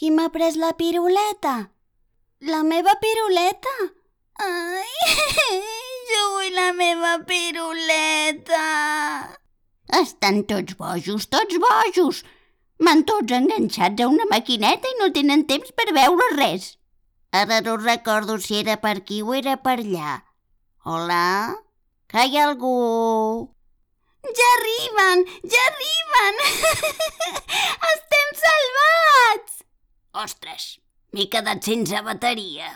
Qui m'ha pres la piruleta? La meva piruleta? Ai, jo vull la meva piruleta. Estan tots bojos, tots bojos. Van tots enganxats a una maquineta i no tenen temps per veure res. Ara no recordo si era per aquí o era per allà. Hola? Que hi ha algú? Ja arriben, ja arriben! Estem salvats! Ostres, m'he quedat sense bateria.